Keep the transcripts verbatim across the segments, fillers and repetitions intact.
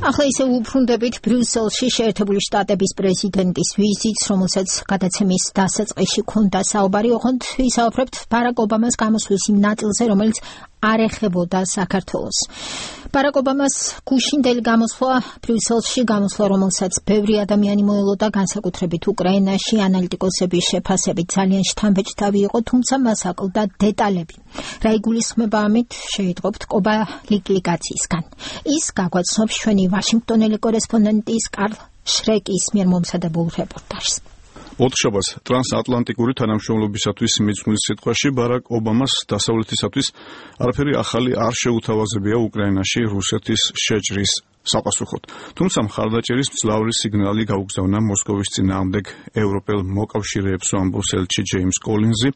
ახლა ისე უბრუნდებით ბრიუსელში შეერთებული შტატების პრეზიდენტის ვიზიტს, რომელსაც გადაცემის დასაწყისში ქონდა საუბარი, ოღონდ ვისაუბრებთ ბარაკ ობამას გამოსვლის იმ ნაწილზე, რომელიც არ ეხებოდა საქართველოს. ბარაკ ობამას გუშინდელი გამოსვლა ბრიუსელში, გამოსვლა, რომელსაც ბევრი ადამიანი მოელოდა, განსაკუთრებით უკრაინაში, ანალიტიკოსების შეფასებით ძალიან შთამბეჭდავი იყო, თუმცა მას აკლდა დეტალები. რა იგულისხმება ამით, შეიტყობთ კობალიკლიკაციისგან. ის გაგვაცნობს ჩვენი ვაშინგტონელი კორესპონდენტის კარლ შრეკის მიერ მომზადებულ რეპორტაჟს. ოთხშაბათს ტრანსატლანტიკური თანამშრომლობისათვის მიძღვის სიტყვაში ბარაკ ობამას დასავლეთისათვის არაფერი ახალი არ შეუთავაზებია უკრაინაში რუსეთის შეჭრის საპასუხოდ. თუმცა მხარდაჭერის მძლავრი სიგნალი გაუგზავნა მოსკოვის წინააღმდეგ ევროპელ მოკავშირეებს, ამბობს ელჩი ჯეიმს კოლინზი,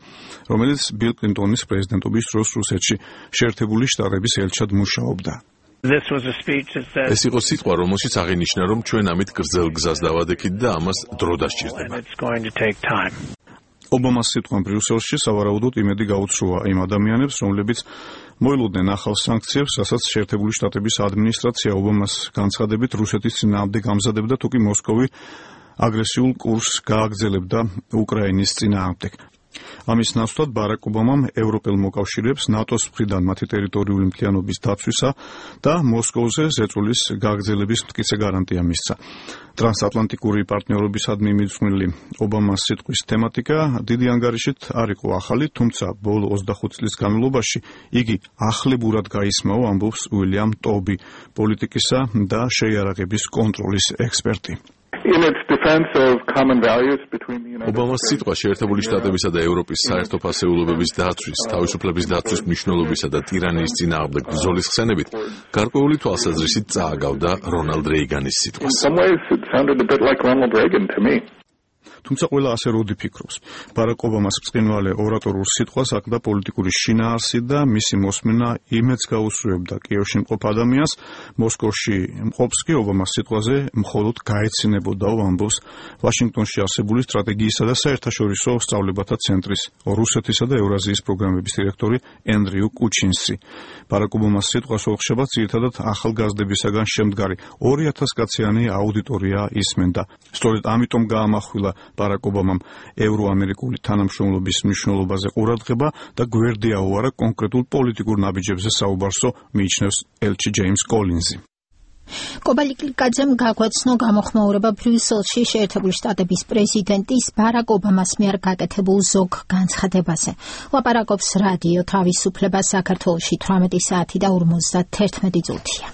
რომელიც ბილ კლინტონის პრეზიდენტობის დროს რუსეთში შეერთებული შტატების ელჩად მუშაობდა. ეს იყო სიტყვა, რომელშიც აღინიშნა, რომ ჩვენ ამით გრძელ გზას დავადექით და ამას დრო დასჭირდება. ობამას სიტყვამ ბრიუსელში სავარაუდოდ იმედი გაუცრუა იმ ადამიანებს, რომლებიც მოელოდნენ ახალ სანქციებს, რასაც შეერთებული შტატების ადმინისტრაცია ობამას განცხადებით რუსეთის წინააღმდეგ ამზადებდა, თუკი მოსკოვი აგრესიულ კურსს გააგრძელებდა უკრაინის წინააღმდეგ. ამის ნაცვლად ბარაკ ობამამ ევროპელ მოკავშირეებს ნატოს მხრიდან მათი ტერიტორიული მთლიანობის დაცვისა და მოსკოვზე ზეწოლის გაგრძელების მტკიცე გარანტია მისცა. ტრანსატლანტიკური პარტნიორობისადმი მიძღვნილი ობამას სიტყვის თემატიკა დიდი ანგარიშით არ იყო ახალი, თუმცა ბოლო ოცდახუთ წლის განმავლობაში იგი ახლებურად გაისმაო, ამბობს უილიამ ტობი, პოლიტიკისა და შეიარაღების კონტროლის ექსპერტი. ობამას სიტყვა შეერთებული შტატებისა და ევროპის საერთო ფასეულობების დაცვის, თავისუფლების დაცვის მნიშვნელობისა და ტირანიის წინააღმდეგ ბრძოლის ხსენებით გარკვეული თვალსაზრისით წააგავდა რონალდ რეიგანის სიტყვას. თუმცა ყველა ასე როდი ფიქრობს. ბარაკ ობამას ბრწყინვალე ორატორულ სიტყვას აკლდა პოლიტიკური შინაარსი და მისი მოსმენა იმედს გაუსწრებდა კიევში მყოფ ადამიანს, მოსკოვში მყოფს კი ობამას სიტყვაზე მხოლოდ გაეცინებოდაო, ამბობს ვაშინგტონში არსებული სტრატეგიისა და საერთაშორისო სწავლებათა ცენტრის რუსეთისა და ევრაზიის პროგრამების დირექტორი ენდრიუ კუჩინსი. ბარაკ ობამას სიტყვას ოთხშაბათს ძირითადად ახალგაზრდებისაგან შემდგარი ორი ათას კაციანი აუდიტორია ისმენდა. სწორედ ამიტომ გაამახვილა ბარაკ ობამამ ევროამერიკული თანამშრომლობის მნიშვნელობაზე ყურადღება და გვერდი აუარა კონკრეტულ პოლიტიკურ ნაბიჯებზე საუბარსო, მიიჩნევს ელჩი ჯეიმს კოლინზი. კობალიკლიკაძემ გაგვაცნო გამოხმაურება ბრიუსელში შეერთებული შტატების პრეზიდენტის ბარაკ ობამას მიერ გაკეთებულ ზოგ განცხადებაზე. ლაპარაკობს რადიო თავისუფლება საქართველოში თვრამეტი საათი და ორმოცდათერთმეტი წუთია.